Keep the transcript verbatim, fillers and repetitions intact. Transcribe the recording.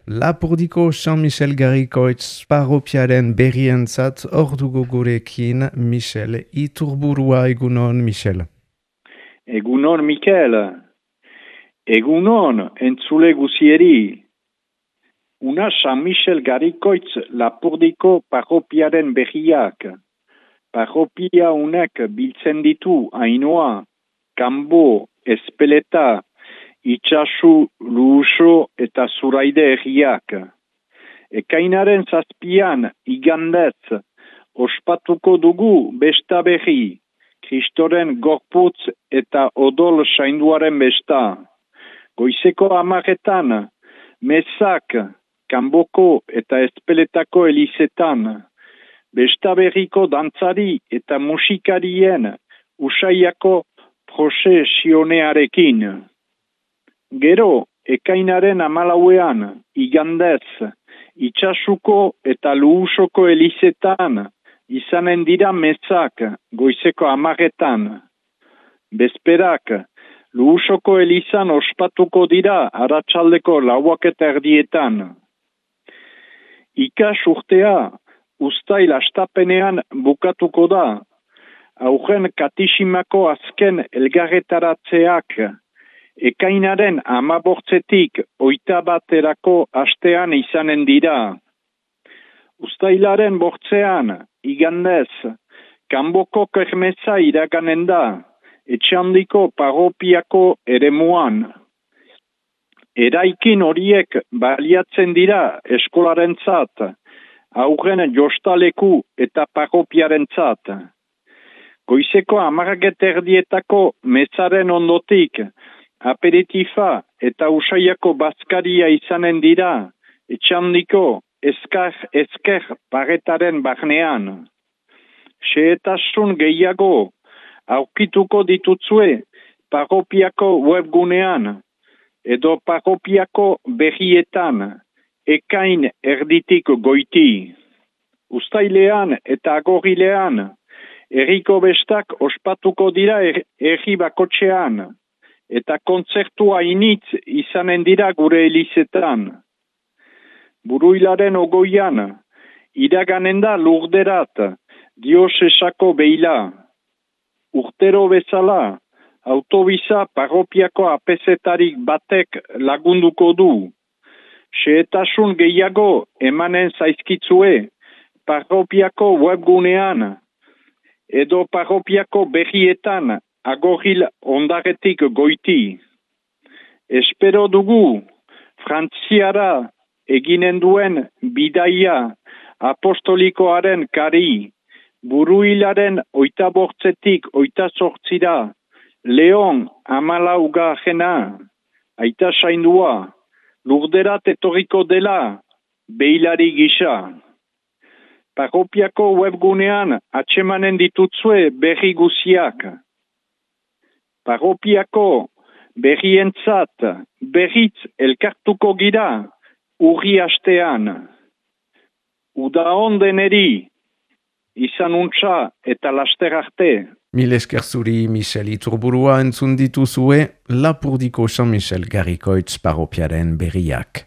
Lapurdiko Jean-Michel Garrikoitz parropiaren berrientzat ordugo gurekin Michel Iturburua. Egunon, Michel. Egunon, Mikel. Egunon, entzule guzieri. Una Jean-Michel Garrikoitz Lapurdiko parropiaren berriak. Parropia unek biltzen ditu Ainoa, Kanbo, Espeleta, Itxasu, Luuso eta Zuraide herriak. Ekainaren zazpian, igandez, ospatuko dugu besta berri, Kristoren gorputz eta odol sainduaren besta. Goizeko amaretan, Mezak, Kanboko eta Espeletako elizetan, besta berriko dantzari eta musikarien usaiako prozesionearekin. Gero, ekainaren amalauean, igandez, Itxasuko eta Luusoko elizetan, izanen dira Mezak, goizeko amaretan. Bezperak, Luusoko elizan ospatuko dira arratsaldeko lauak eta erdietan. Ikas urtea, uztail astapenean bukatuko da, aurren katisimako azken elgarretaratzeak, ekainaren amabortzetik oita baterako astean izanen dira. Uztailaren bortzean, igandez, Kanboko kermeza iraganen da, etxandiko parropiako eremuan. Eraikin horiek baliatzen dira eskolarentzat, aurren jostaleku eta parropiarentzat. Goizeko hamarrak erdietako mezaren ondotik, aperitifa eta usaiako bazkaria izanen dira, etxandiko ezker, ezker paretaren barnean. Xehetasun gehiago aurkituko ditutzue parropiako webgunean, edo parropiako berrietan, ekain erditik goiti. Uztailean eta agorrilean, herriko bestak ospatuko dira herri bakotxean, eta kontzertua initz izanen dira gure elizetan. Buruilaren ogoian, iraganen da Lurderat, Diosesako beila. Urtero bezala, autobisa parropiako apezetarik batek lagunduko du. Xehetasun gehiago emanen zaizkitzue parropiako webgunean, edo parropiako berrietan agorril ondaretik goiti. Espero dugu, Frantziara eginen duen bidaia apostolikoaren kari, buruilaren oita bortzetik oita sortzira, Leon amalauga jena, aita saindua, Lurderat etorriko dela, beilari gisa. Parropiako webgunean atsemanen ditutzue berri guziak. Parropiako berrientzat berritz elkartuko gira urri astean. Uda ondeneri, izan untsa eta laster arte. Mil esker zuri, Michel Iturburua, entzun dituzue Lapurdiko Jean-Michel Garrikoitz parropiaren berriak.